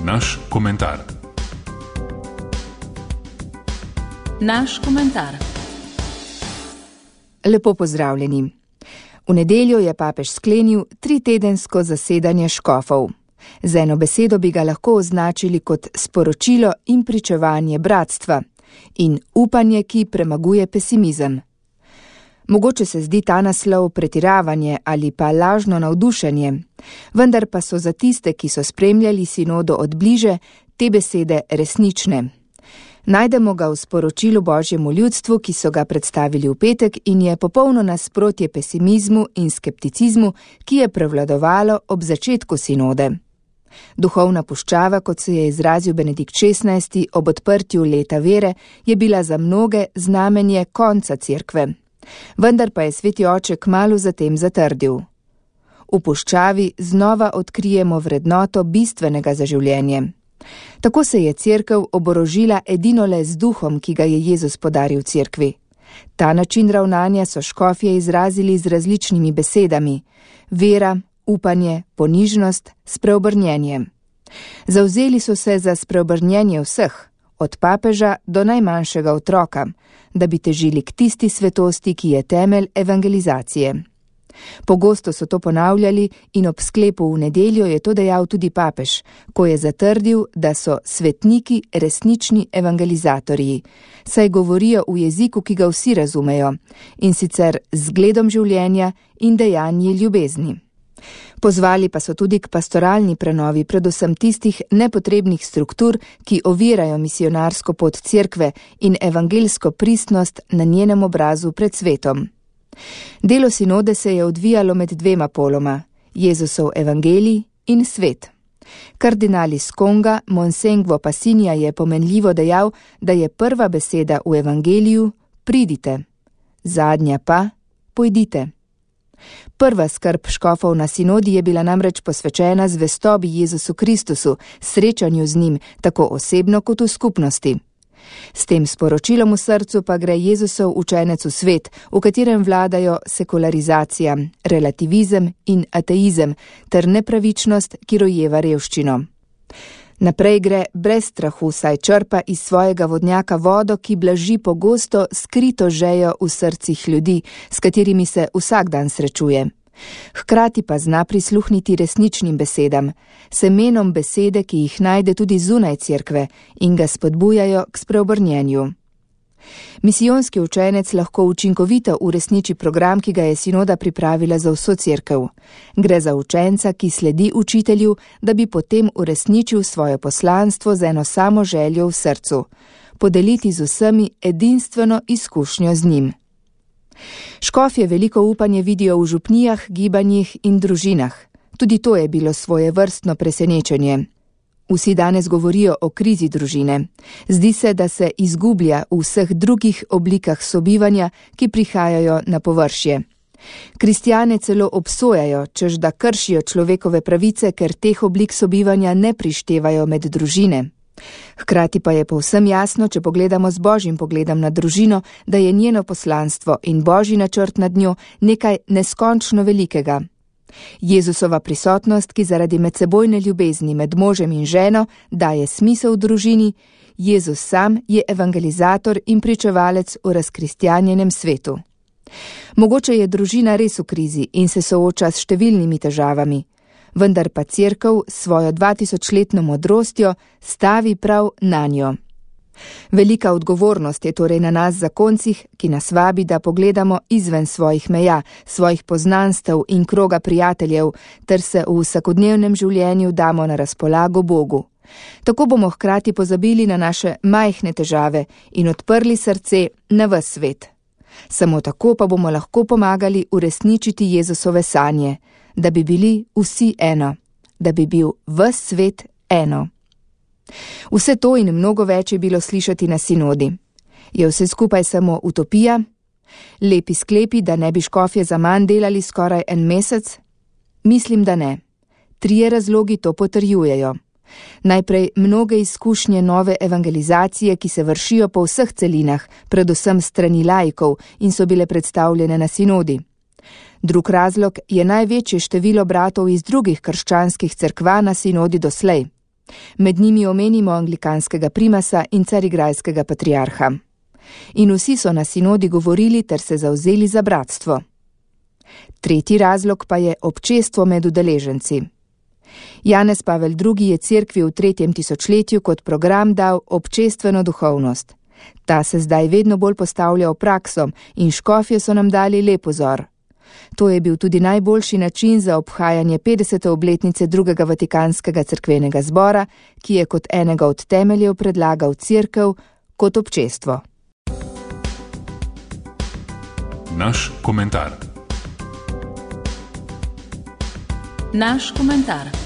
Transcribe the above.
naš komentar. Naš komentar. Lepo pozdravljeni. V nedeljo je papež sklenil 3-tedensko zasedanje škofov. Z eno besedo bi ga lahko označili kot sporočilo in pričevanje bratstva in upanje, ki premaguje pesimizem. Mogoče se zdi ta naslov pretiravanje ali pa lažno navdušenje, vendar pa so za tiste, ki so spremljali sinodo od bliže, te besede resnične. Najdemo ga v sporočilu Božjemu ljudstvu, ki so ga predstavili v petek in je popolno nasprotje pesimizmu in skepticizmu, ki je prevladovalo ob začetku sinode. Duhovna puščava, kot se je izrazil Benedikt XVI ob odprtju leta vere, je bila za mnoge znamenje konca cerkve. Vendar pa je sveti oče kmalu zatem zatrdil. V puščavi znova odkrijemo vrednoto bistvenega za življenje. Tako se je cerkev oborožila edinole z duhom, ki ga je Jezus podaril cerkvi. Ta način ravnanja so škofje izrazili z različnimi besedami: vera, upanje, ponižnost, spreobrnjenje. Zavzeli so se za spreobrnjenje vseh, od papeža do najmanjšega otroka, da bi težili k tisti svetosti, ki je temelj evangelizacije. Pogosto so to ponavljali in ob sklepu v nedeljo je to dejal tudi papež, ko je zatrdil, da so svetniki resnični evangelizatorji, saj govorijo v jeziku, ki ga vsi razumejo, in sicer z zgledom življenja in dejanji ljubezni. Pozvali pa so tudi k pastoralni prenovi predvsem tistih nepotrebnih struktur, ki ovirajo misionarsko pot cerkve in evangelsko pristnost na njenem obrazu pred svetom. Delo sinode se je odvijalo med dvema poloma, Jezusov evangelij in svet. Kardinal iz Konga, Monsengwo Passinja, je pomenljivo dejal, da je prva beseda v evangeliju pridite, zadnja pa pojdite. Prva skrb škofov na sinodi je bila namreč posvečena zvestobi Jezusu Kristusu, srečanju z njim, tako osebno kot v skupnosti. S tem sporočilom v srcu pa gre Jezusov učenec v svet, v katerem vladajo sekularizacija, relativizem in ateizem ter nepravičnost, ki rojeva revščino. Naprej gre brez strahu, saj črpa iz svojega vodnjaka vodo, ki blaži pogosto skrito žejo v srcih ljudi, s katerimi se vsak dan srečuje. Hkrati pa zna prisluhniti resničnim besedam, semenom besede, ki jih najde tudi zunaj cerkve in ga spodbujajo k spreobrnjenju. Misijonski učenec lahko učinkovito uresniči program, ki ga je sinoda pripravila za vso cerkev. Gre za učenca, ki sledi učitelju, da bi potem uresničil svoje poslanstvo z eno samo željo v srcu: podeliti z vsemi edinstveno izkušnjo z njim. Škofje veliko upanje vidijo v župnijah, gibanjih in družinah. Tudi to je bilo svojevrstno presenečenje. Vsi danes govorijo o krizi družine. Zdi se, da se izgublja v vseh drugih oblikah sobivanja, ki prihajajo na površje. Kristjane celo obsojajo, češ da kršijo človekove pravice, ker teh oblik sobivanja ne prištevajo med družine. Hkrati pa je povsem jasno, če pogledamo z Božjim pogledom na družino, da je njeno poslanstvo in Božji načrt nad njo nekaj neskončno velikega. Jezusova prisotnost, ki zaradi medsebojne ljubezni med možem in ženo daje smisel v družini, Jezus sam je evangelizator in pričevalec v razkristjanjenem svetu. Mogoče je družina res v krizi in se sooča s številnimi težavami, vendar pa cerkev s svojo 2000-letno modrostjo stavi prav na njo. Velika odgovornost je torej na nas zakoncih, ki nas vabi, da pogledamo izven svojih meja, svojih poznanstev in kroga prijateljev, ter se v vsakodnevnem življenju damo na razpolago Bogu. Tako bomo hkrati pozabili na naše majhne težave in odprli srce na ves svet. Samo tako pa bomo lahko pomagali uresničiti Jezusove sanje, da bi bili vsi eno, da bi bil ves svet eno. Vse to in mnogo več je bilo slišati na sinodi. Je vse skupaj samo utopija? Lepi sklepi, da ne bi škofje zaman delali skoraj en mesec? Mislim, da ne. 3 razlogi to potrjujejo. Najprej mnoge izkušnje nove evangelizacije, ki se vršijo po vseh celinah, predvsem strani laikov in so bile predstavljene na sinodi. Drug razlog je največje število bratov iz drugih krščanskih cerkva na sinodi doslej. Med njimi omenimo anglikanskega primasa in carigrajskega patriarha. In vsi so na sinodi govorili ter se zavzeli za bratstvo. Tretji razlog pa je občestvo med udeleženci. Janez Pavel II. Je cerkvi v 3. tisočletju kot program dal občestveno duhovnost. Ta se zdaj vedno bolj postavlja v prakso in škofje so nam dali lep vzor. To je bil tudi najboljši način za obhajanje 50. obletnice drugega Vatikanskega cerkvenega zbora, ki je kot enega od temeljev predlagal cerkev kot občestvo. Naš komentar. Naš komentar.